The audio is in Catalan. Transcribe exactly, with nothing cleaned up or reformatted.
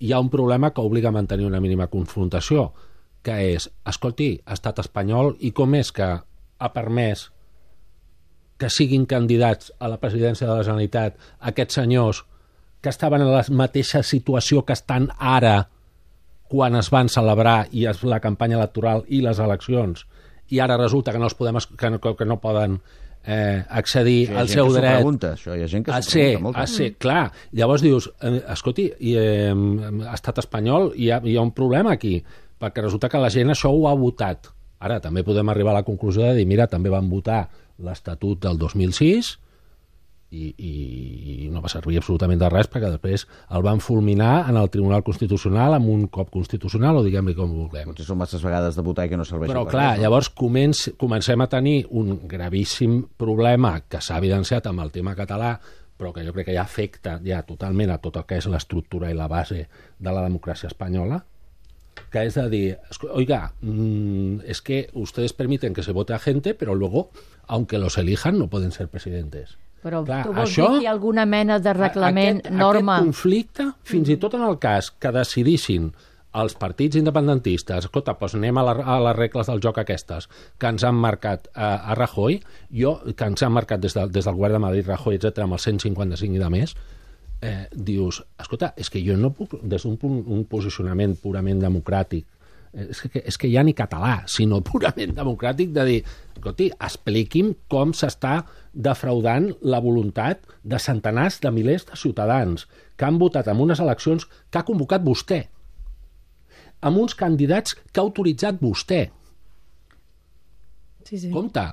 hi ha un problema que obliga a mantenir una mínima confrontació, que és, escolti, estat espanyol, i com és que ha permès que siguin candidats a la presidència de la Generalitat aquests senyors que estaven en la mateixa situació que estan ara quan es van celebrar i es, la campanya electoral i les eleccions, i ara resulta que no, els podem, que no, que no poden eh, accedir al seu dret pregunta, això. Hi ha gent que a s'ho ser, pregunta molt. a ser, clar. Llavors dius, eh, escolti, i, eh, estat espanyol, hi ha, hi ha un problema aquí, perquè resulta que la gent això ho ha votat. Ara també podem arribar a la conclusió de dir, mira, també van votar l'Estatut del dos mil sis i, i, i no va servir absolutament de res perquè després el van fulminar en el Tribunal Constitucional amb un cop constitucional, o diguem-li com vulguem. Potser són masses vegades de votar i que no serveix. Però clar, res, no? Llavors començ, comencem a tenir un gravíssim problema que s'ha evidenciat amb el tema català, però que jo crec que ja afecta ja totalment a tot el que és l'estructura i la base de la democràcia espanyola, que és de dir, oiga, mmm, es que ustedes permiten que se vote a gente, pero luego, aunque los elijan, no pueden ser presidentes. Però clar, tu vols això, dir que hi ha alguna mena de reglament, aquest, norma... Aquest conflicte, fins i tot en el cas que decidissin els partits independentistes, escolta, doncs anem a, la, a les regles del joc aquestes, que ens han marcat a, a Rajoy, jo, que ens han marcat des, de, des del govern de Madrid, Rajoy, etcètera, amb el cent cinquanta-cinc i de més, eh, dius, escolta, és que jo no puc, des d'un un posicionament purament democràtic, és que, és que ja ni català, sinó purament democràtic, de dir, escolti, expliqui'm com s'està defraudant la voluntat de centenars de milers de ciutadans que han votat en unes eleccions que ha convocat vostè, amb uns candidats que ha autoritzat vostè. Sí, sí. Compte,